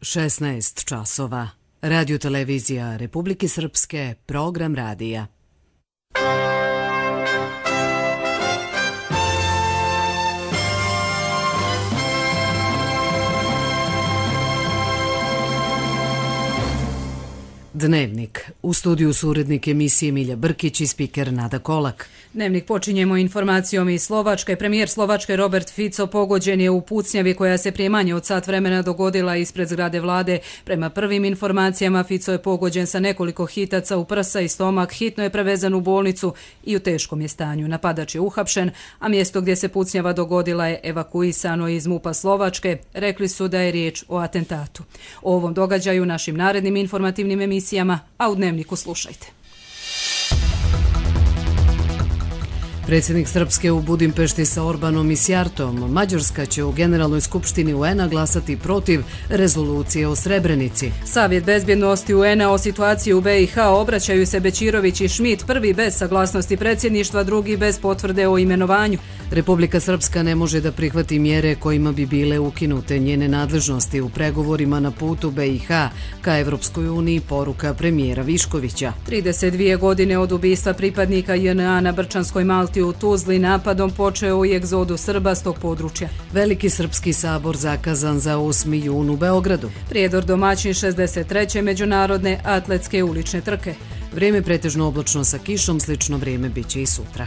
16 časova. Radio televizija Republike Srpske, program radija. Dnevnik. U studiju su urednik emisije Milja Brkić i spiker Nada Kolak. Dnevnik počinjemo informacijom iz Slovačke. Premijer Slovačke Robert Fico pogođen je u pucnjavi koja se prije manje od sat vremena dogodila ispred zgrade vlade. Prema prvim informacijama Fico je pogođen sa nekoliko hitaca u prsa i stomak, hitno je prevezan u bolnicu i u teškom je stanju. Napadač je uhapšen, a mjesto gdje se pucnjava dogodila je evakuisano iz MUP-a Slovačke. Rekli su da je riječ o atentatu. O ovom događaju našim narednim informativnim emisijama, a u Dnevniku slušajte. Predsjednik Srpske u Budimpešti sa Orbanom i Sjartom. Mađarska će u Generalnoj skupštini UN-a glasati protiv rezolucije o Srebrenici. Savjet bezbjednosti UN-a o situaciji u BiH obraćaju se Bećirović i Schmidt, prvi bez saglasnosti predsjedništva, drugi bez potvrde o imenovanju. Republika Srpska ne može da prihvati mjere kojima bi bile ukinute njene nadležnosti u pregovorima na putu BiH ka Evropskoj uniji, poruka premijera Viškovića. 32 godine od ubistva pripadnika JNA na Brčanskoj Malti u Tuzli napadom počeo i egzodu Srba s tog područja. Veliki srpski sabor zakazan za 8. jun u Beogradu. Prijedor domaćin 63. međunarodne atletske ulične trke. Vrijeme pretežno oblačno sa kišom, slično vrijeme biće i sutra.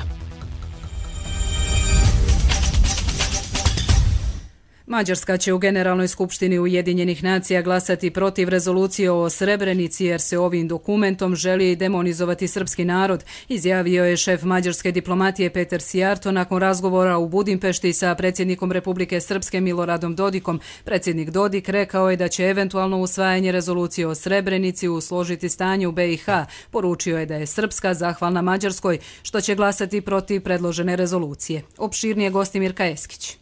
Mađarska će u Generalnoj skupštini Ujedinjenih nacija glasati protiv rezolucije o Srebrenici jer se ovim dokumentom želi demonizovati srpski narod, izjavio je šef mađarske diplomatije Peter Sijarto nakon razgovora u Budimpešti sa predsjednikom Republike Srpske Miloradom Dodikom. Predsjednik Dodik rekao je da će eventualno usvajanje rezolucije o Srebrenici usložiti stanje u BiH. Poručio je da je Srpska zahvalna Mađarskoj što će glasati protiv predložene rezolucije. Opširnije Gostimir Kajeskić.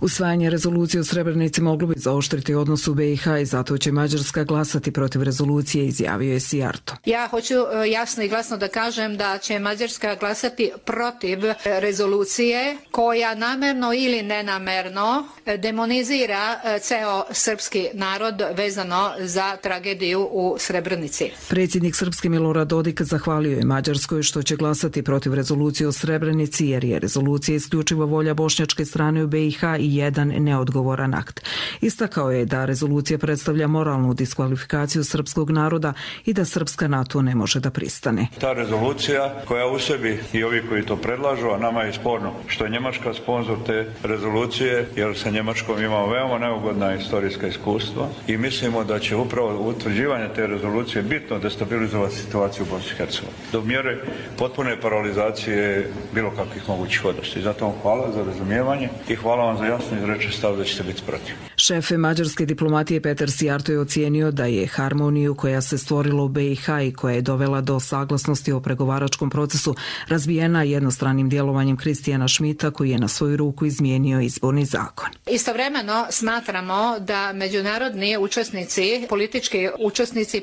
Usvajanje rezolucije o Srebrenici moglo bi zaoštriti odnos u BiH i zato će Mađarska glasati protiv rezolucije, izjavio je Sijarto. Ja hoću jasno i glasno da kažem da će Mađarska glasati protiv rezolucije koja namerno ili nenamerno demonizira ceo srpski narod vezano za tragediju u Srebrenici. Predsjednik Srpske Milorad Dodik zahvalio je Mađarskoj što će glasati protiv rezolucije o Srebrenici jer je rezolucija isključiva volja bošnjačke strane u BiH i jedan neodgovoran akt. Istakao je da rezolucija predstavlja moralnu diskvalifikaciju srpskog naroda i da Srpska na to ne može da pristane. Ta rezolucija koja u sebi i ovi koji to predlažu, a nama je sporno što je Njemačka sponzor te rezolucije, jer sa Njemačkom imamo veoma neugodna istorijska iskustva i mislimo da će upravo utvrđivanje te rezolucije bitno destabilizovati situaciju u Bosni i Hercegovini do mjere potpune paralizacije bilo kakvih mogućih odnosa. I zato vam hvala za razumijevanje i hvala vam za jasno izreče stav da ćete biti protiv. Šef mađarske diplomatije Peter Sijarto je ocijenio da je harmoniju koja se stvorila u BiH i koja je dovela do saglasnosti o pregovaračkom procesu razbijena jednostranim djelovanjem Kristijana Schmidta koji je na svoju ruku izmijenio izborni zakon. Istovremeno smatramo da međunarodni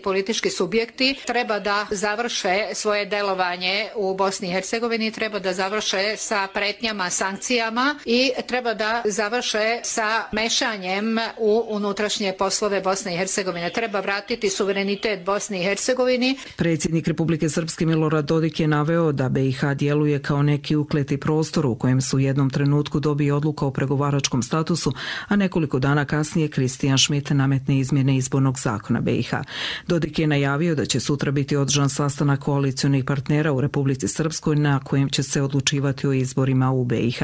politički subjekti treba da završe svoje delovanje u Bosni i Hercegovini, treba da završe sa pretnjama, sankcijama i treba da završe sa mešanjem u unutrašnje poslove Bosne i Hercegovine. Treba vratiti suverenitet Bosni i Hercegovini. Predsjednik Republike Srpske Milorad Dodik je naveo da BiH djeluje kao neki ukleti prostor u kojem su u jednom trenutku dobije odluka o pregovaračkom statusu, a nekoliko dana kasnije Kristijan Schmidt nametne izmjene izbornog zakona BiH. Dodik je najavio da će sutra biti održan sastanak koalicionih partnera u Republici Srpskoj na kojem će se odlučivati o izborima u BiH.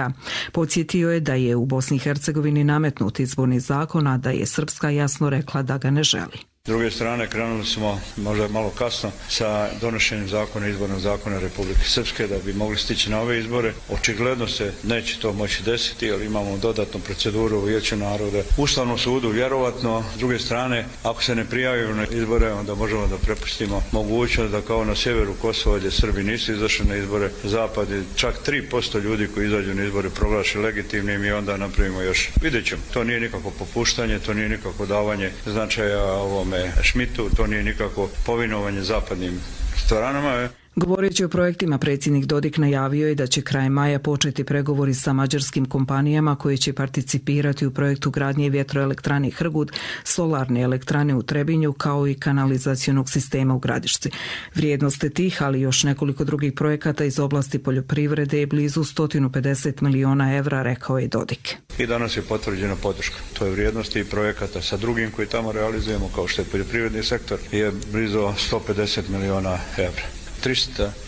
Podsjetio je da je u Bosni i Hercegovini nametnut izborni zakon, a da je Srpska jasno rekla da ga ne želi. S druge strane, krenuli smo možda malo kasno sa donošenjem izbornog zakona Republike Srpske da bi mogli stići na ove izbore. Očigledno se neće to moći desiti, jer imamo dodatnu proceduru u Vijeću naroda, Ustavnom sudu vjerovatno. S druge strane, ako se ne prijavimo na izbore, onda možemo da prepustimo mogućnost da kao na sjeveru Kosova gdje Srbi nisu izašli na izbore, zapad je čak 3% ljudi koji izađu na izbore proglaši legitimnim i onda napravimo još. Vidjet ćemo, to nije nikako popuštanje, to nije nikako davanje značaja ovom Schmidtu, to nije nikako povinovanje zapadnim stranama. Govoreći o projektima, predsjednik Dodik najavio je da će krajem maja početi pregovori sa mađarskim kompanijama koje će participirati u projektu gradnje vjetroelektrane Hrgud, solarne elektrane u Trebinju kao i kanalizacionog sistema u Gradišci. Vrijednost tih, ali još nekoliko drugih projekata iz oblasti poljoprivrede je blizu 150 miliona evra, rekao je Dodik. I danas je potvrđena podrška. To je vrijednosti i projekata sa drugim koji tamo realizujemo, kao što je poljoprivredni sektor, je blizu 150 miliona evra.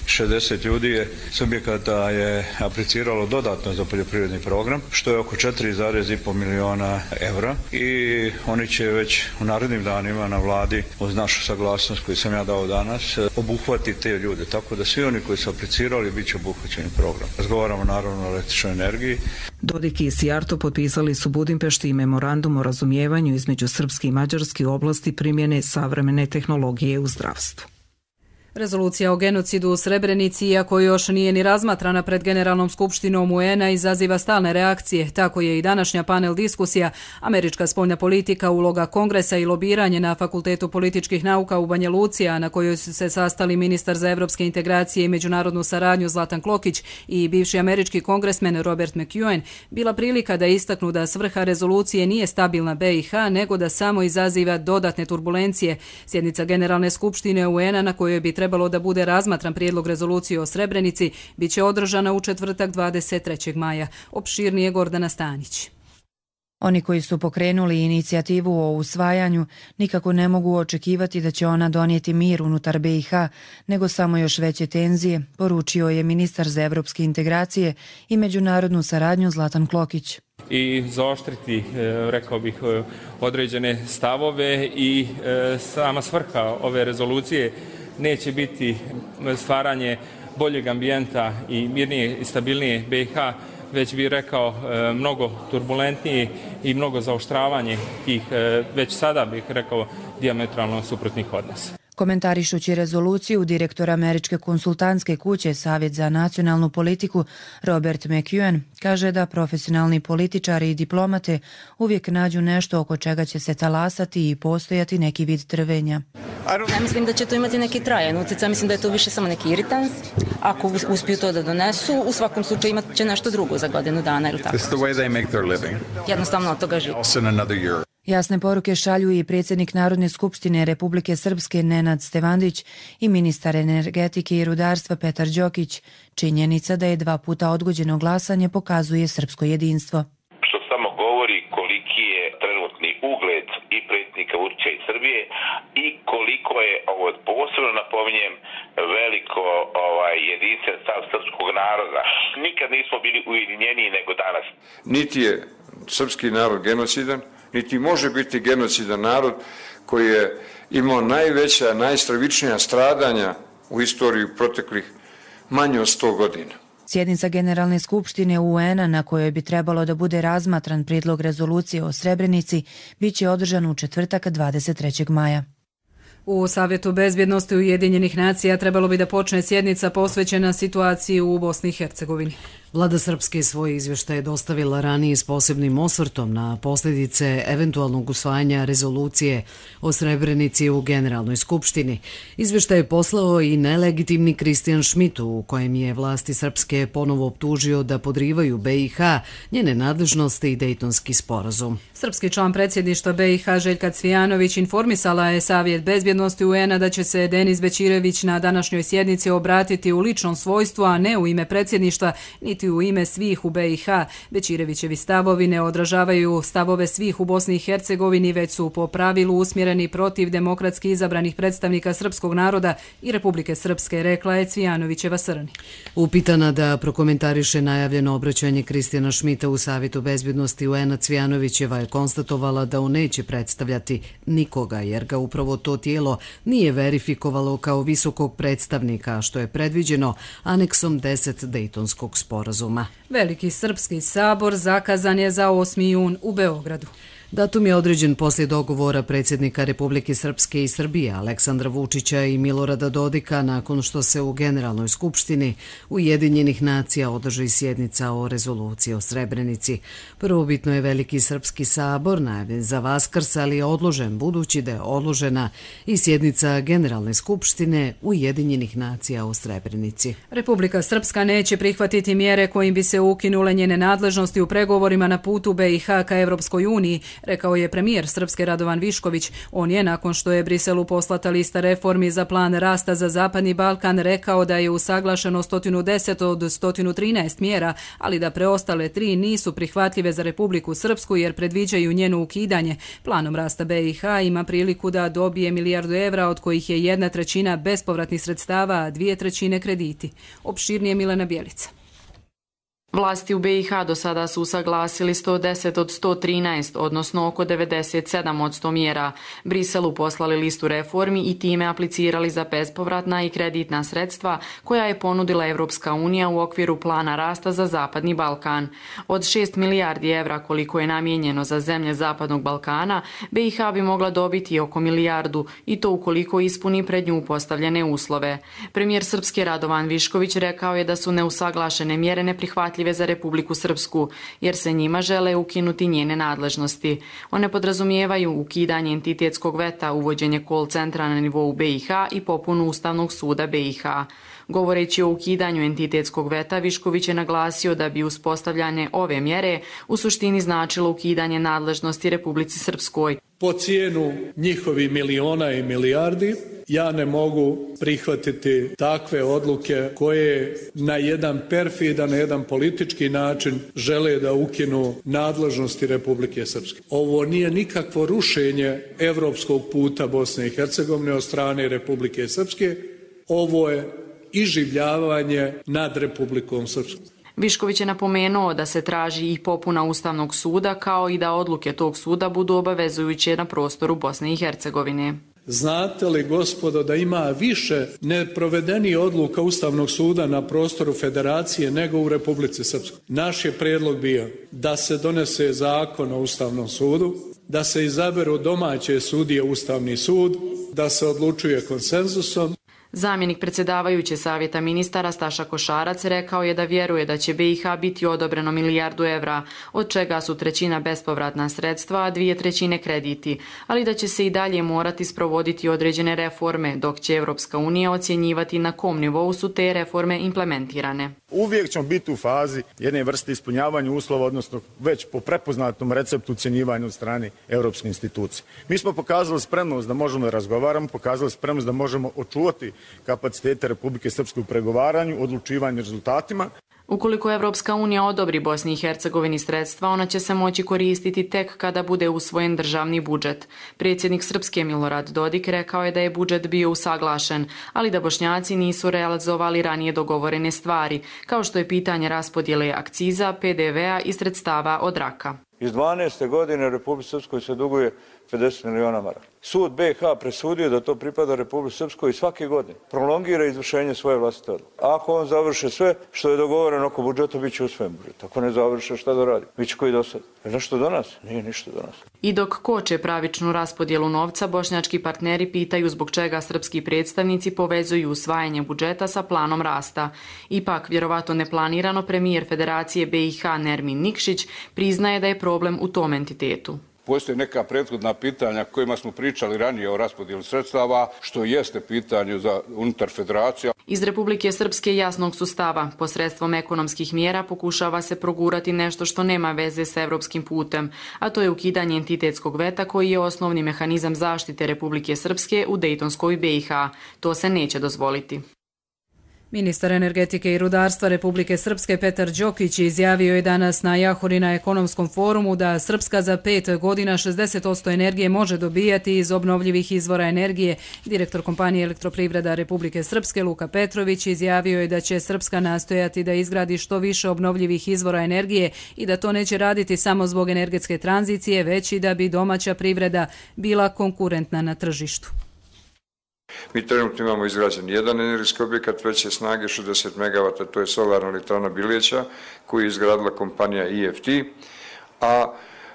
360 ljudi je subjekata je apliciralo dodatno za poljoprivredni program, što je oko 4,5 miliona evra i oni će već u narednim danima na vladi uz našu saglasnost koju sam ja dao danas obuhvatiti te ljude, tako da svi oni koji su aplicirali bit će obuhvaćeni program. Razgovaramo naravno o električnoj energiji. Dodik i Sijarto potpisali su Budimpešti i memorandum o razumijevanju između srpske i mađarske u oblasti primjene savremene tehnologije u zdravstvu. Rezolucija o genocidu u Srebrenici, iako još nije ni razmatrana pred Generalnom skupštinom UN-a, izaziva stalne reakcije. Tako je i današnja panel diskusija Američka spoljna politika, uloga Kongresa i lobiranje na Fakultetu političkih nauka u Banja Luci, a na kojoj su se sastali ministar za evropske integracije i međunarodnu saradnju Zlatan Klokić i bivši američki kongresmen Robert McEwen, bila prilika da istaknu da svrha rezolucije nije stabilna BiH, nego da samo izaziva dodatne turbulencije. Sjednica Generalne skupštine UN-a, na kojoj bi trebalo da bude razmatran prijedlog rezolucije o Srebrenici, bit će održana u četvrtak 23. maja. Opširnije Gordana Stanić. Oni koji su pokrenuli inicijativu o usvajanju nikako ne mogu očekivati da će ona donijeti mir unutar BiH, nego samo još veće tenzije, poručio je ministar za evropske integracije i međunarodnu saradnju Zlatan Klokić. I zaoštriti, rekao bih, određene stavove i sama svrha ove rezolucije neće biti stvaranje boljeg ambijenta i mirnije i stabilnije BiH, već bih rekao mnogo turbulentnije i mnogo zaoštravanje tih, već sada bih rekao, dijametralno suprotnih odnosa. Komentarišući rezoluciju, direktor američke konsultantske kuće Savjet za nacionalnu politiku Robert McEwen kaže da profesionalni političari i diplomate uvijek nađu nešto oko čega će se talasati i postojati neki vid trvenja. Ja mislim da će to imati neki trajan utjecaj, mislim da je to više samo neki iritans. Ako uspiju to da donesu, u svakom slučaju imat će nešto drugo za godinu dana ili tako. Jednostavno od toga živi. Jasne poruke šalju i predsjednik Narodne skupštine Republike Srpske Nenad Stevandić i ministar energetike i rudarstva Petar Đokić. Činjenica da je 2 puta odgođeno glasanje pokazuje srpsko jedinstvo. Što samo govori koliki je trenutni ugled i predsjednika Vučića i Srbije i koliko je, ovo posebno napominjem, veliko jedinstven stav srpskog naroda. Nikad nismo bili ujedinjeniji nego danas. Niti je srpski narod genocidan, niti može biti genocidan narod koji je imao najveća, najstravičnija stradanja u istoriji proteklih manje od 100 godina. Sjednica Generalne skupštine UN-a, na kojoj bi trebalo da bude razmatran prijedlog rezolucije o Srebrenici, bit će održan u četvrtak 23. maja. U Savjetu bezbjednosti Ujedinjenih nacija trebalo bi da počne sjednica posvećena situaciji u Bosni i Hercegovini. Vlada Srpske svoje izvještaje dostavila ranije s posebnim osvrtom na posljedice eventualnog usvajanja rezolucije o Srebrenici u Generalnoj skupštini. Izvještaj je poslao i nelegitimni Kristijan Šmit, u kojem je vlasti Srpske ponovo optužio da podrivaju BiH, njene nadležnosti i Dejtonski sporazum. Srpski član predsjedništva BiH Željka Cvijanović informisala je Savjet bezbjednosti UN-a da će se Denis Bećirević na današnjoj sjednici obratiti u ličnom svojstvu, a ne u ime predsjedništva, niti u ime svih u BiH. Bećirevićevi stavovi ne odražavaju stavove svih u Bosni i Hercegovini, već su po pravilu usmjereni protiv demokratski izabranih predstavnika srpskog naroda i Republike Srpske, rekla je Cvijanovićeva Srni. Upitana da prokomentariše najavljeno obraćanje Kristijana Šmita u Savjetu bezbjednosti UN-a, Cvijanovićeva je konstatovala da on neće predstavljati nikoga, jer ga upravo to tijelo nije verifikovalo kao visokog predstavnika, što je predviđeno aneksom 10 Dejtonskog sporazuma. Veliki srpski sabor zakazan je za 8. jun u Beogradu. Datum je određen poslije dogovora predsjednika Republike Srpske i Srbije Aleksandra Vučića i Milorada Dodika nakon što se u Generalnoj skupštini Ujedinjenih nacija održi sjednica o rezoluciji o Srebrenici. Prvobitno je Veliki srpski sabor najavljen za Vaskrs, ali je odložen budući da je odložena i sjednica Generalne skupštine Ujedinjenih nacija o Srebrenici. Republika Srpska neće prihvatiti mjere kojim bi se ukinule njene nadležnosti u pregovorima na putu BiH ka Evropskoj uniji, rekao je premijer Srpske Radovan Višković. On je, nakon što je Briselu poslata lista reformi za plan rasta za Zapadni Balkan, rekao da je usaglašeno 110 od 113 mjera, ali da preostale 3 nisu prihvatljive za Republiku Srpsku jer predviđaju njeno ukidanje. Planom rasta BiH ima priliku da dobije milijardu evra, od kojih je 1/3 bespovratnih sredstava, a 2/3 krediti. Opširnije Milena Bjelica. Vlasti u BiH do sada su usaglasili 110 od 113, odnosno oko 97% mjera. Briselu poslali listu reformi i time aplicirali za bespovratna i kreditna sredstva koja je ponudila Evropska unija u okviru plana rasta za Zapadni Balkan. Od 6 milijardi evra koliko je namijenjeno za zemlje Zapadnog Balkana, BiH bi mogla dobiti oko milijardu i to ukoliko ispuni pred nju postavljene uslove. Premijer Srpske Radovan Višković rekao je da su neusaglašene mjere neprihvatljive za Republiku Srpsku, jer se njima žele ukinuti njene nadležnosti. One podrazumijevaju ukidanje entitetskog veta, uvođenje call centra na nivou BiH i popunu Ustavnog suda BiH. Govoreći o ukidanju entitetskog veta, Višković je naglasio da bi uspostavljanje ove mjere u suštini značilo ukidanje nadležnosti Republici Srpskoj. Po cijenu njihovih miliona i milijardi, ja ne mogu prihvatiti takve odluke koje na jedan perfidan, na jedan politički način žele da ukinu nadležnosti Republike Srpske. Ovo nije nikakvo rušenje evropskog puta Bosne i Hercegovine od strane Republike Srpske, ovo je iživljavanje nad Republikom Srpskom. Višković je napomenuo da se traži i popuna Ustavnog suda, kao i da odluke tog suda budu obavezujuće na prostoru Bosne i Hercegovine. Znate li, gospodo, da ima više neprovedenih odluka Ustavnog suda na prostoru Federacije nego u Republici Srpskoj? Naš je prijedlog bio da se donese zakon o Ustavnom sudu, da se izaberu domaće sudije Ustavni sud, da se odlučuje konsenzusom. Zamjenik predsjedavajuće savjeta ministara Staša Košarac rekao je da vjeruje da će BiH biti odobreno milijardu evra, od čega su 1/3 bespovratna sredstva, a 2/3 krediti, ali da će se i dalje morati sprovoditi određene reforme, dok će Evropska unija ocjenjivati na kom nivou su te reforme implementirane. Uvijek ćemo biti u fazi jedne vrste ispunjavanja uslova, odnosno već po prepoznatom receptu ocjenjivanja od strane Europske institucije. Mi smo pokazali spremnost da možemo da razgovaramo, pokazali spremnost da možemo očuvati kapacitete Republike Srpske u pregovaranju, odlučivanju rezultatima. Ukoliko Evropska unija odobri Bosni i Hercegovini sredstva, ona će se moći koristiti tek kada bude usvojen državni budžet. Predsjednik Srpske Milorad Dodik rekao je da je budžet bio usaglašen, ali da Bošnjaci nisu realizovali ranije dogovorene stvari, kao što je pitanje raspodjele akciza, PDV-a i sredstava od raka. Iz 12. godine Republike Srpskoj se duguje 50 miliona maraka. Sud BiH presudio da to pripada Republike Srpskoj i svake godine prolongira izvršenje svoje vlastite odluke. Ako on završe sve što je dogovoreno oko budžeta, bit će usvojen budžet. Ako ne završe, šta da radi? Biće koji do sada. Je nešto do nas? Nije ništa do nas. I dok koče pravičnu raspodjelu novca, bošnjački partneri pitaju zbog čega srpski predstavnici povezuju usvajanje budžeta sa planom rasta. Ipak, vjerovatno neplanirano, premijer Federacije BiH Nermin Nikšić priznaje da je problem u tom entitetu. Postoje neka prethodna pitanja kojima smo pričali ranije o raspodjeli sredstava, što jeste pitanje za unutar federacija. Iz Republike Srpske jasnog su stava. Posredstvom ekonomskih mjera pokušava se progurati nešto što nema veze sa evropskim putem, a to je ukidanje entitetskog veta koji je osnovni mehanizam zaštite Republike Srpske u Dejtonskoj BiH. To se neće dozvoliti. Ministar energetike i rudarstva Republike Srpske Petar Đokić izjavio je danas na Jahori na ekonomskom forumu da Srpska za 5 godina 60% energije može dobijati iz obnovljivih izvora energije. Direktor kompanije Elektroprivreda Republike Srpske Luka Petrović izjavio je da će Srpska nastojati da izgradi što više obnovljivih izvora energije i da to neće raditi samo zbog energetske tranzicije, već i da bi domaća privreda bila konkurentna na tržištu. Mi trenutno imamo izgrađen jedan energetski objekat veće snage 60 MW, to je solarna elektrana Biljeća koju je izgradila kompanija EFT, a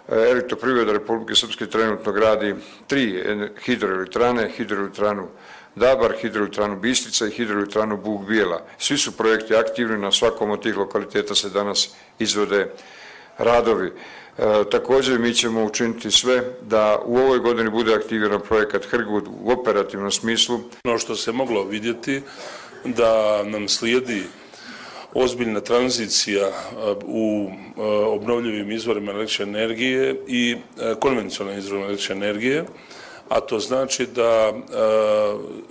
Elektroprivreda Republike Srpske trenutno gradi 3 hidroelektrane, hidroelektranu Dabar, hidroelektranu Bistrica i hidroelektranu Bug Bijela. Svi su projekti aktivni, na svakom od tih lokaliteta se danas izvode radovi. Također mi ćemo učiniti sve da u ovoj godini bude aktiviran projekat Hrgut u operativnom smislu. Ono što se moglo vidjeti da nam slijedi ozbiljna tranzicija u obnovljivim izvorima električne energije i konvencionalnim izvorima električne energije, a to znači da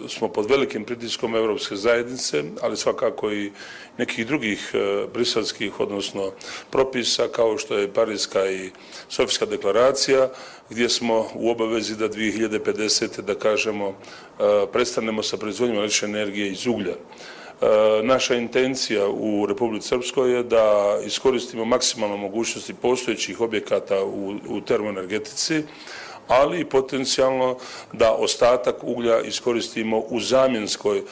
smo pod velikim pritiskom Europske zajednice, ali svakako i nekih drugih briselskih, odnosno propisa, kao što je Parijska i Sofijska deklaracija, gdje smo u obavezi da 2050. da kažemo prestanemo sa proizvodnjom električne energije iz uglja. Naša intencija u Republici Srpskoj je da iskoristimo maksimalno mogućnosti postojećih objekata u termoenergetici, ali i potencijalno da ostatak uglja iskoristimo u zamjenskoj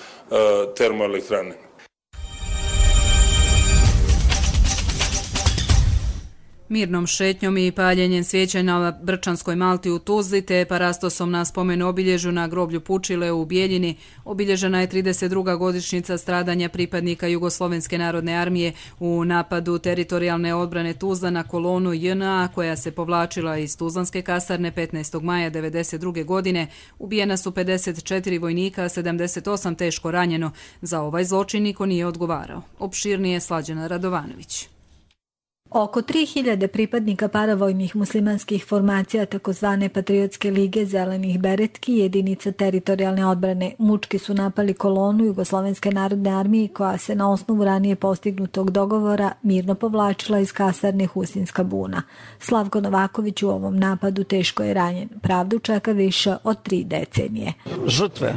termoelektrani. Mirnom šetnjom i paljenjem svijeća na Brčanskoj Malti u Tuzli te parastosom na spomenu obilježju na groblju Pučile u Bijeljini obilježena je 32. godišnjica stradanja pripadnika Jugoslovenske narodne armije u napadu teritorijalne odbrane Tuzla na kolonu JNA koja se povlačila iz Tuzlanske kasarne 15. maja 1992. godine. Ubijena su 54 vojnika, 78 teško ranjeno. Za ovaj zločin niko nije odgovarao. Opširnije Slađana Radovanović. Oko 3000 pripadnika paravojnih muslimanskih formacija takozvane Patriotske lige zelenih beretki jedinica teritorijalne odbrane mučki su napali kolonu Jugoslovenske narodne armije koja se na osnovu ranije postignutog dogovora mirno povlačila iz kasarne Husinska buna. Slavko Novaković u ovom napadu teško je ranjen. Pravdu čeka više od 3 decenije. Žrtve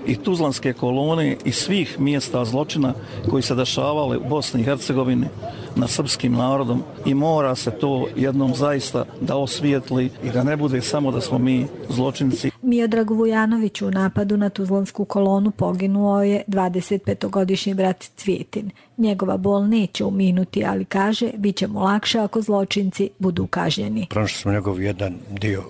i Tuzlanske kolone i svih mjesta zločina koji se dešavali u Bosni i Hercegovini nad srpskim narodom i mora se to jednom zaista da osvijetli i da ne bude samo da smo mi zločinci. Miodragu Vujanoviću u napadu na Tuzlansku kolonu poginuo je 25-godišnji brat Cvijetin. Njegova bol neće uminuti, ali kaže, bit će mu lakše ako zločinci budu kažnjeni. Pronašli smo njegov jedan dio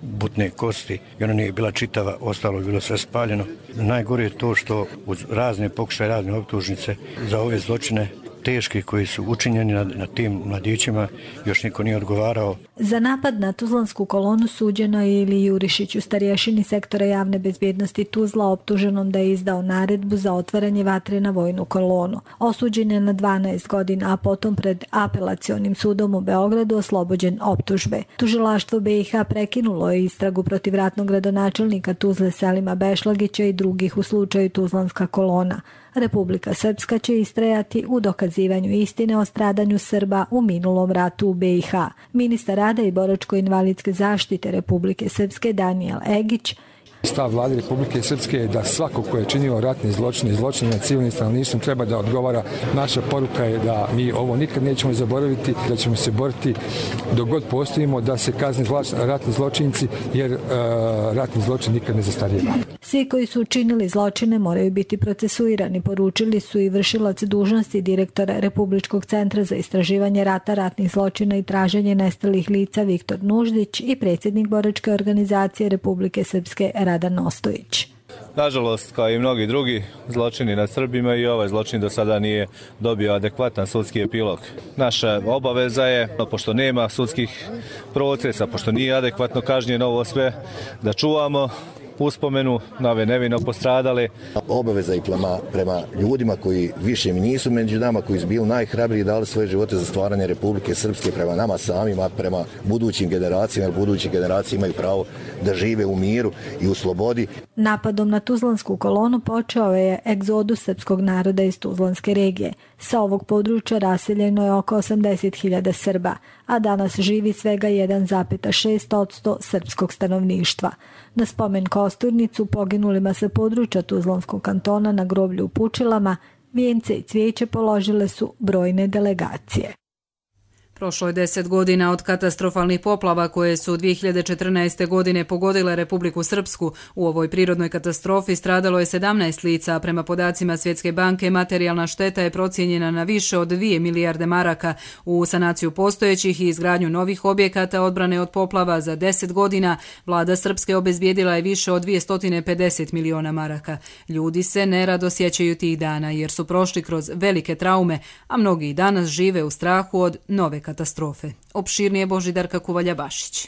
butne kosti i ona nije bila čitava, ostalo je bilo sve spaljeno. Najgore je to što uz razne pokušaje, razne optužnice za ove zločine teški koji su učinjeni na tim mladićima još niko nije odgovarao. Za napad na Tuzlansku kolonu suđeno je Ili Jurišiću, starješini sektora javne bezbjednosti Tuzla, optuženom da je izdao naredbu za otvaranje vatre na vojnu kolonu. Osuđen je na 12 godina, a potom pred apelacionim sudom u Beogradu oslobođen optužbe. Tužilaštvo BiH prekinulo je istragu protiv ratnog gradonačelnika Tuzle Selima Bešlagića i drugih u slučaju Tuzlanska kolona. Republika Srpska će istrajati u dokazivanju istine o stradanju Srba u minulom ratu u BiH. Ministar rada i boračko-invalidske zaštite Republike Srpske Danijel Egić. Stav vlade Republike Srpske je da svako ko je činio ratne zločine i zločine nad civilnim stanovništvom treba da odgovara. Naša poruka je da mi ovo nikad nećemo zaboraviti, da ćemo se boriti dok god postojimo da se kazne ratni zločinci, jer ratni zločin nikad ne zastarijeva. Svi koji su učinili zločine moraju biti procesuirani, poručili su i vršilac dužnosti direktora Republičkog centra za istraživanje rata, ratnih zločina i traženje nestalih lica Viktor Nuždić i predsjednik boračke organizacije Republike Srpske Radan Ostojić. Nažalost, kao i mnogi drugi zločini nad Srbima, i ovaj zločin do sada nije dobio adekvatan sudski epilog. Naša obaveza je, pošto nema sudskih procesa, pošto nije adekvatno kažnjeno ovo sve, da čuvamo uspomenu na ove nevino postradale. Obaveza i prema ljudima koji više mi nisu među nama, koji su bili najhrabriji i dali svoje živote za stvaranje Republike Srpske, prema nama samima, prema budućim generacijama, jer buduće generacije imaju pravo da žive u miru i u slobodi. Napadom na Tuzlansku kolonu počeo je egzodus srpskog naroda iz Tuzlanske regije. Sa ovog područja raseljeno je oko 80.000 Srba, a danas živi svega 1,6% srpskog stanovništva. Na spomen kosturnicu poginulima sa područja Tuzlanskog kantona na groblju u Pučilama vijence i cvijeće položile su brojne delegacije. Prošlo je 10 godina od katastrofalnih poplava koje su 2014. godine pogodile Republiku Srpsku. U ovoj prirodnoj katastrofi stradalo je 17 lica, a prema podacima Svjetske banke materijalna šteta je procijenjena na više od 2 milijarde maraka. U sanaciju postojećih i izgradnju novih objekata odbrane od poplava za 10 godina vlada Srpske obezbijedila je više od 250 miliona maraka. Ljudi se nerado sjećaju tih dana jer su prošli kroz velike traume, a mnogi i danas žive u strahu od nove katastrofe. Opširnije Božidarka Kuvalja-Bašić.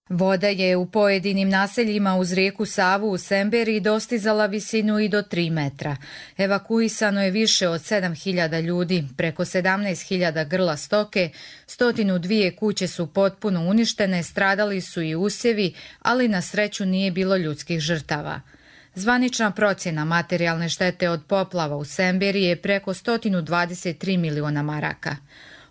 Voda je u pojedinim naseljima uz rijeku Savu u Semberiji dostizala visinu i do 3 metra. Evakuisano je više od 7.000 ljudi, preko 17.000 grla stoke, 102 kuće su potpuno uništene, stradali su i usjevi, ali na sreću nije bilo ljudskih žrtava. Zvanična procjena materijalne štete od poplava u Semberiji je preko 123 miliona maraka.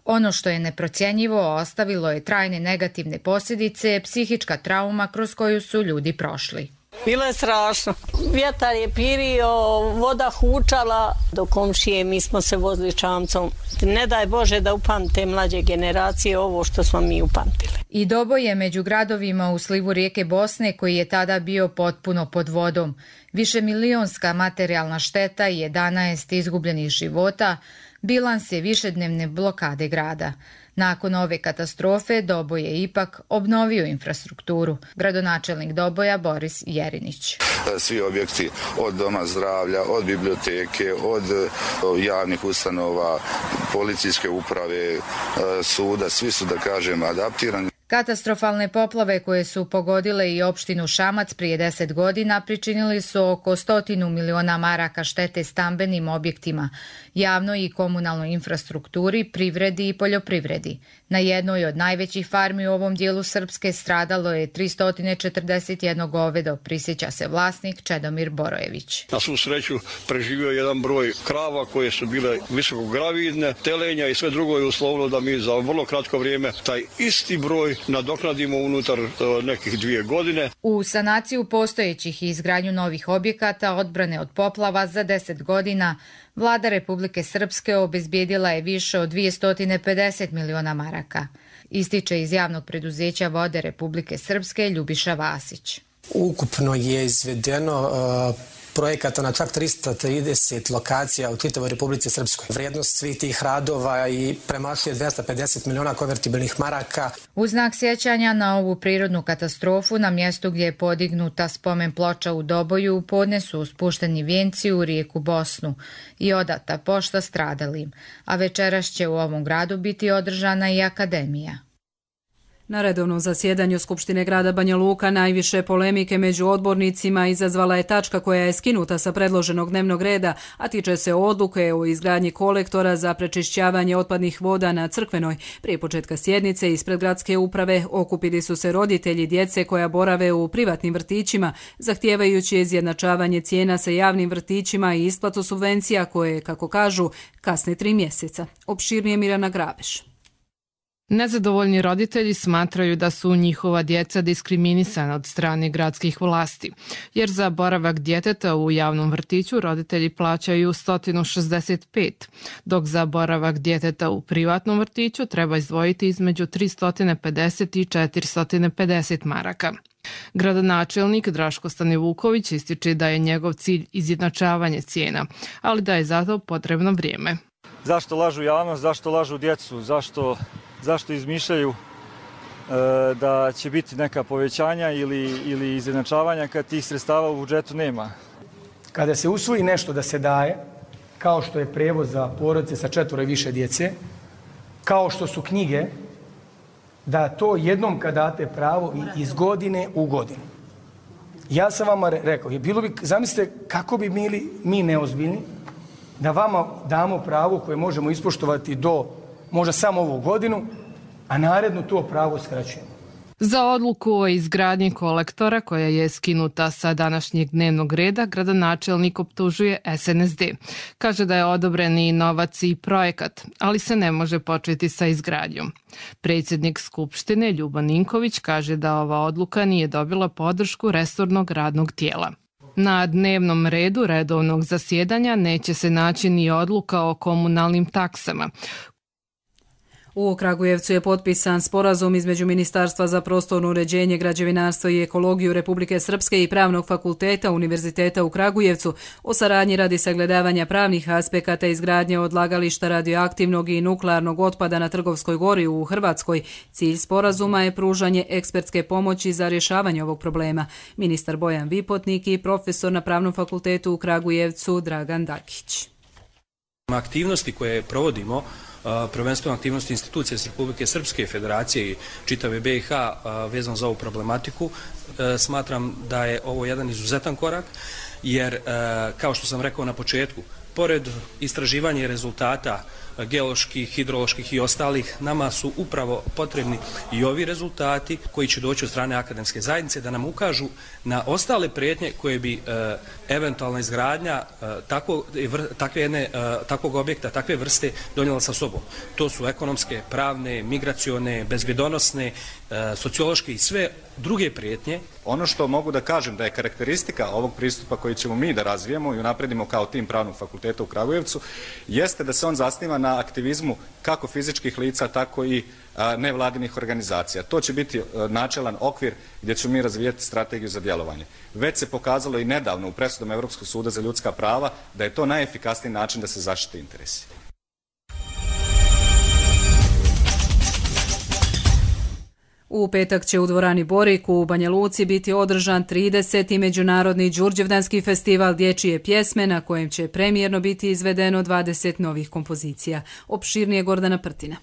Ono što je neprocjenjivo ostavilo je trajne negativne posljedice, psihička trauma kroz koju su ljudi prošli. Bilo je strašno. Vjetar je pirio, voda hučala. Do komšije mi smo se vozili čamcom. Ne daj Bože da upamte mlađe generacije ovo što smo mi upamtili. I Doboj je među gradovima u slivu rijeke Bosne koji je tada bio potpuno pod vodom. Višemilionska materijalna šteta i 11 izgubljenih života, bilans je višednevne blokade grada. Nakon ove katastrofe Doboj je ipak obnovio infrastrukturu. Gradonačelnik Doboja Boris Jerinić. Svi objekti od doma zdravlja, od biblioteke, od javnih ustanova, policijske uprave, suda, svi su da kažem adaptirani. Katastrofalne poplave koje su pogodile i opštinu Šamac prije 10 godina pričinili su oko 100 miliona maraka štete stambenim objektima, javnoj i komunalnoj infrastrukturi, privredi i poljoprivredi. Na jednoj od najvećih farmi u ovom dijelu Srpske stradalo je 341 govedo, prisjeća se vlasnik Čedomir Borojević. Na svu sreću preživio jedan broj krava koje su bile visokogravidne, telenja i sve drugo je uslovilo da mi za vrlo kratko vrijeme taj isti broj nadoknadimo unutar nekih 2 godine. U sanaciju postojećih i izgradnju novih objekata odbrane od poplava za 10 godina vlada Republike Srpske obezbijedila je više od 250 miliona maraka. Ističe iz javnog preduzeća Vode Republike Srpske Ljubiša Vasić. Ukupno je izvedeno projekata na čak 330 lokacija u čitavoj Republici Srpskoj. Vrijednost svih tih radova i premašuje 250 miliona konvertibilnih maraka. U znak sjećanja na ovu prirodnu katastrofu na mjestu gdje je podignuta spomen ploča u Doboju podne su spušteni vijenci u rijeku Bosnu i odata pošta stradalim, a večeras će u ovom gradu biti održana i akademija. Na redovnom zasjedanju Skupštine grada Banja Luka najviše polemike među odbornicima izazvala je tačka koja je skinuta sa predloženog dnevnog reda, a tiče se odluke o izgradnji kolektora za prečišćavanje otpadnih voda na Crkvenoj. Prije početka sjednice ispred gradske uprave okupili su se roditelji djece koja borave u privatnim vrtićima, zahtijevajući izjednačavanje cijena sa javnim vrtićima i isplatu subvencija koje, kako kažu, kasne 3 mjeseca. Opširnije Mirjana Grabeš. Nezadovoljni roditelji smatraju da su njihova djeca diskriminisana od strane gradskih vlasti, jer za boravak djeteta u javnom vrtiću roditelji plaćaju 165, dok za boravak djeteta u privatnom vrtiću treba izdvojiti između 350 i 450 maraka. Gradonačelnik Draško Stanivuković ističe da je njegov cilj izjednačavanje cijena, ali da je zato potrebno vrijeme. Zašto lažu javnost, zašto lažu djecu, zašto izmišljaju da će biti neka povećanja ili izjednačavanja kad tih sredstava u budžetu nema? Kada se usvoji nešto da se daje, kao što je prijevoz za porodice sa 4 i više djece, kao što su knjige, da to jednom kad date pravo iz godine u godinu. Ja sam vama rekao, zamislite kako bi bili mi neozbiljni da vama damo pravo koje možemo ispoštovati do možda samo ovu godinu, a naredno to pravo skraćujemo. Za odluku o izgradnji kolektora koja je skinuta sa današnjeg dnevnog reda, gradonačelnik optužuje SNSD. Kaže da je odobren i novac i projekat, ali se ne može početi sa izgradnjom. Predsjednik Skupštine Ljubo Ninković kaže da ova odluka nije dobila podršku resornog radnog tijela. Na dnevnom redu redovnog zasjedanja neće se naći ni odluka o komunalnim taksama. U Kragujevcu je potpisan sporazum između Ministarstva za prostorno uređenje, građevinarstvo i ekologiju Republike Srpske i Pravnog fakulteta Univerziteta u Kragujevcu o saradnji radi sagledavanja pravnih aspekata izgradnje odlagališta radioaktivnog i nuklearnog otpada na Trgovskoj gori u Hrvatskoj. Cilj sporazuma je pružanje ekspertske pomoći za rješavanje ovog problema. Ministar Bojan Vipotnik i profesor na Pravnom fakultetu u Kragujevcu Dragan Dakić. Aktivnosti koje provodimo, prvenstveno aktivnosti institucije Republike Srpske, Federacije i čitave BiH vezano za ovu problematiku, smatram da je ovo jedan izuzetan korak, jer kao što sam rekao na početku, pored istraživanja rezultata geoloških, hidroloških i ostalih, nama su upravo potrebni i ovi rezultati koji će doći od strane akademske zajednice da nam ukažu na ostale prijetnje koje bi eventualna izgradnja takvog objekta, takve vrste donijela sa sobom. To su ekonomske, pravne, migracione, bezbjedonosne, sociološke i sve druge prijetnje. Ono što mogu da kažem da je karakteristika ovog pristupa koji ćemo mi da razvijemo i unapredimo kao tim Pravnog fakulteta u Kragujevcu, jeste da se on zasniva na aktivizmu kako fizičkih lica, tako i nevladinih organizacija. To će biti načelan okvir gdje ćemo mi razvijati strategiju za djelovanje. Već se pokazalo i nedavno u presudama Europskog suda za ljudska prava da je to najefikasniji način da se zaštite interesi. U petak će u dvorani Borik u Banja Luci biti održan 30. Međunarodni Đurđevdanski festival dječje pjesme na kojem će premijerno biti izvedeno 20 novih kompozicija. Opširnije Gordana Prtina.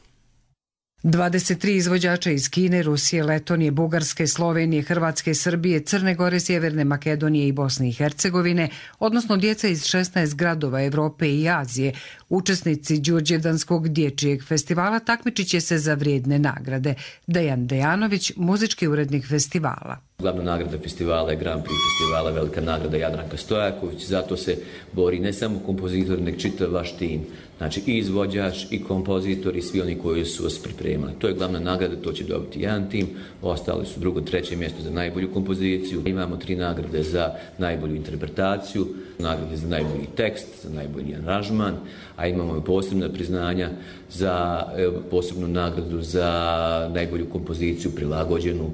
23 izvođača iz Kine, Rusije, Letonije, Bugarske, Slovenije, Hrvatske, Srbije, Crne Gore, Sjeverne Makedonije i Bosne i Hercegovine, odnosno djeca iz 16 gradova Evrope i Azije, učesnici Đurđevdanskog dječjeg festivala, takmičit će se za vrijedne nagrade. Dejan Dejanović, muzički urednik festivala. Glavna nagrada festivala je Grand Prix festivala, velika nagrada Jadranka Stojaković, zato se bori ne samo kompozitor, nek čitav vaš tim, znači i izvođač, i kompozitor, i svi oni koji su vas pripremali. To je glavna nagrada, to će dobiti jedan tim, ostali su drugo, treće mjesto za najbolju kompoziciju. Imamo 3 nagrade za najbolju interpretaciju, nagrade za najbolji tekst, za najbolji aranžman, a imamo i posebna priznanja za posebnu nagradu za najbolju kompoziciju prilagođenu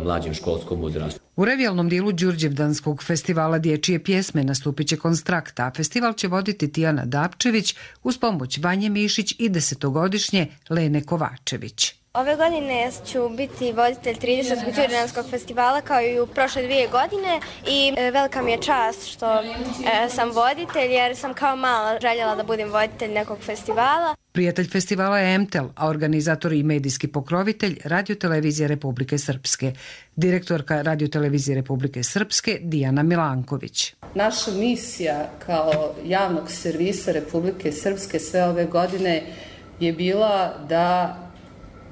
mlađem školskom uzrastu. U revijalnom dijelu Đurđevdanskog festivala dječje pjesme nastupit će Konstrakta, a festival će voditi Tijana Dapčević uz pomoć Vanje Mišić i 10-godišnje Lene Kovačević. Ove godine ću biti voditelj 30. Đurđevdanskog festivala kao i u prošle 2 godine i velika mi je čast što sam voditelj jer sam kao mala željela da budem voditelj nekog festivala. Prijatelj festivala je MTEL, a organizator i medijski pokrovitelj Radiotelevizije Republike Srpske. Direktorka Radiotelevizije Republike Srpske Dijana Milanković. Naša misija kao javnog servisa Republike Srpske sve ove godine je bila da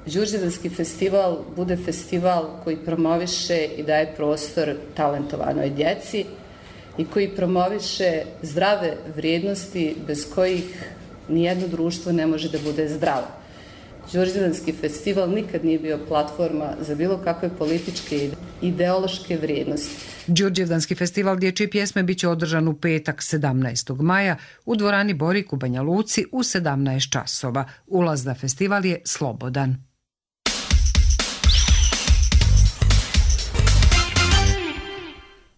Đurđevdanski festival bude festival koji promoviše i daje prostor talentovanoj djeci i koji promoviše zdrave vrijednosti bez kojih nijedno društvo ne može da bude zdravo. Đurđevdanski festival nikad nije bio platforma za bilo kakve političke i ideološke vrijednosti. Đurđevdanski festival dječje pjesme biće održan u petak 17. maja u dvorani Borik u Banja Luci u 17 časova. Ulaz na festival je slobodan.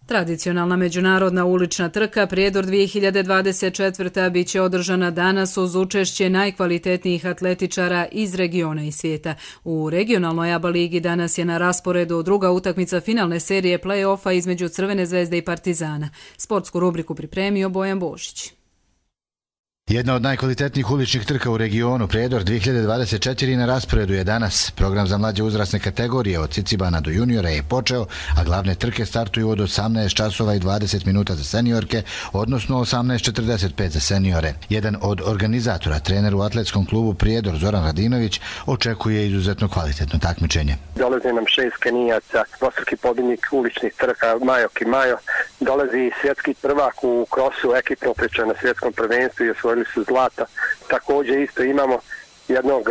Tradicionalna međunarodna ulična trka Prijedor 2024. biće održana danas uz učešće najkvalitetnijih atletičara iz regiona i svijeta. U regionalnoj ABA ligi danas je na rasporedu druga utakmica finalne serije play-offa između Crvene zvezde i Partizana. Sportsku rubriku pripremio Bojan Božić. Jedna od najkvalitetnijih uličnih trka u regionu, Prijedor 2024, na rasporedu je danas. Program za mlađe uzrasne kategorije od Cicibana do juniora je počeo, a glavne trke startuju od 18 časova i 20 minuta za seniorke, odnosno 18:45 za seniore. Jedan od organizatora, trener u atletskom klubu Prijedor Zoran Radinović, očekuje izuzetno kvalitetno takmičenje. Dolazi nam 6 Kenijaca, dvostruki pobjednik uličnih trka Majo Kimajo, dolazi svjetski prvak u krosu ekipno priča na svjetskom prvenstvu i osvojili su zlata. Također isto imamo jednog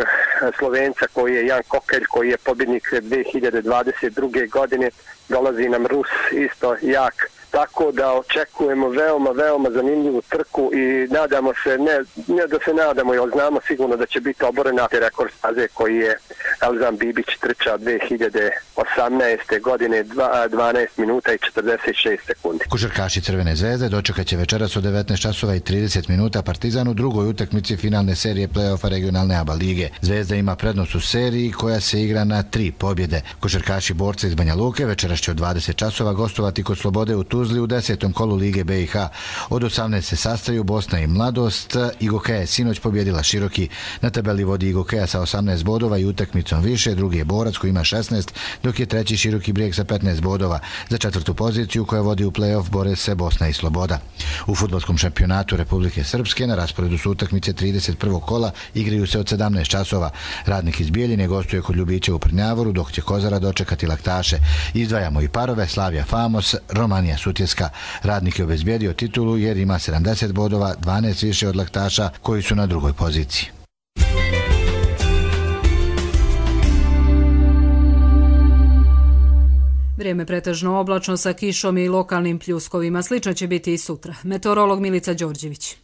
Slovenca koji je Jan Kokelj, koji je pobjednik 2022. godine. Dolazi nam Rus isto jak. Tako da očekujemo veoma zanimljivu trku i nadamo se, ne da se nadamo, jer znamo sigurno da će biti oborena rekord staze koji je Elzan Bibić trčao 2018. godine 12 minuta i 46 sekundi. Košarkaši Crvene zvezde dočekat će večeras od 19 časova i 30 minuta Partizan u drugoj utakmici finalne serije play-offa regionalne ABA lige. Zvezda ima prednost u seriji koja se igra na 3 pobjede. Košarkaši borca iz Banja Luke večeras će od 20 časova gostovati kod Slobode u Tuzli u 10. kolu Lige BiH. Od 18 se sastaju Bosna i Mladost. Igokeja je sinoć pobjedila Široki. Na tabeli vodi Igokeja sa 18 bodova i utakmicom više. Drugi je Borac koji ima 16, dok je treći Široki Brijeg sa 15 bodova. Za četvrtu poziciju koja vodi u play-off bore se Bosna i Sloboda. U fudbalskom šampionatu Republike Srpske na rasporedu su utakmice 31. kola, igraju se od 17 časova. Radnik iz Bijeljine gostuje kod Ljubića u Prnjavoru, dok će Kozara dočekati Laktaše. Izdvajamo i parove Slavija Famos, Romanija Sutjeska. Radnik je obezbijedio titulu jer ima 70 bodova, 12 više od Laktaša koji su na drugoj poziciji. Vrijeme pretežno oblačno sa kišom i lokalnim pljuskovima. Slično će biti i sutra. Meteorolog Milica Đorđević.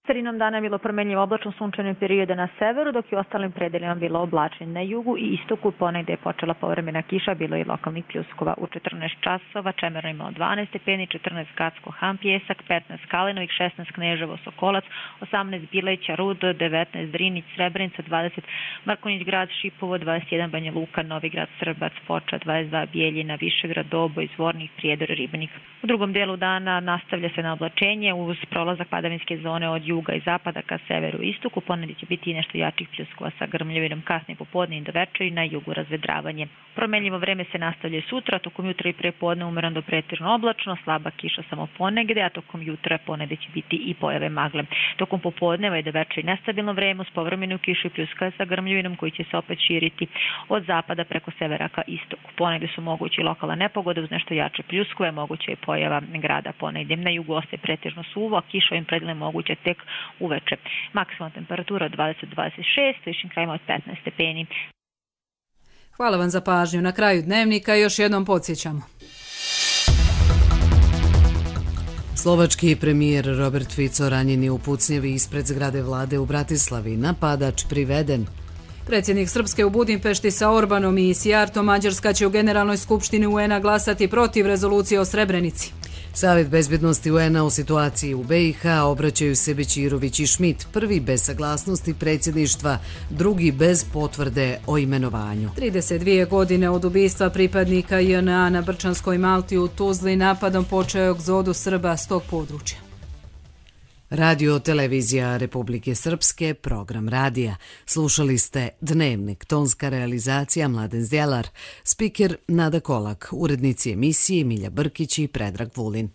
Sredinom dana je bilo promenljivo oblačno sunčane periode na severu, dok je u ostalim predelima bilo oblačno na jugu i istoku. Ponegde je počela povremena kiša, bilo je lokalnih pljuskova. U 14 časova Čemerno imao 12 stepeni, 14 Gacko Han Pjesak, 15 Kalinovik, 16 Kneževo Sokolac, 18 Bileća Rud, 19 Drinić Srebrenica, 20 Markonić Grad Šipovo, 21 Banja Luka, Novi Grad Srbac, Foča, 22 Bijeljina, Višegrad, Doboj, Zvornik, Prijedor, Ribnik. U drugom dijelu dana nastavlja se na oblačenje uz prolazak padavinske zone od juga i zapada ka severu i istoku. Ponegdje će biti nešto jačih pljuskova sa grmljavinom kasnije popodne i do večeri, na jugu razvedravanje. Promenljivo vreme se nastavlja sutra, tokom jutra i prepodne umereno do pretežno oblačno, slaba kiša samo ponegde, a tokom jutra ponegde će biti i pojave magle. Tokom popodneva i do večeri nestabilno vreme uz povremenu kišu i pljuskove sa grmljavinom koji će se opet širiti od zapada preko severa ka istoku. Ponegde su mogući lokalne nepogode uz nešto jače pljuskove, moguće je pojava grada ponegde. Na jugu ostaje pretežno suvo, a kiša ovim predelima moguće tek uveče. Maksimalna temperatura od 20-26, višim krajima od 15 stepeni. Hvala vam za pažnju. Na kraju dnevnika još jednom podsjećamo. Slovački premijer Robert Fico ranjen je u pucnjevi ispred zgrade vlade u Bratislavi. Napadač priveden. Predsjednik Srpske u Budimpešti sa Orbanom i Sijartom. Mađarska će u Generalnoj skupštini UN-a glasati protiv rezolucije o Srebrenici. Savjet bezbjednosti UN-a u situaciji u BiH obraćaju se Bećirović i Schmidt, prvi bez saglasnosti predsjedništva, drugi bez potvrde o imenovanju. 32 godine od ubistva pripadnika JNA na Brčanskoj Malti u Tuzli napadom počeo egzodus Srba s tog područja. Radio Televizija Republike Srpske, program radija. Slušali ste Dnevnik, tonska realizacija Mladen Zdjelar, spiker Nada Kolak, urednici emisije Milja Brkić i Predrag Vulin.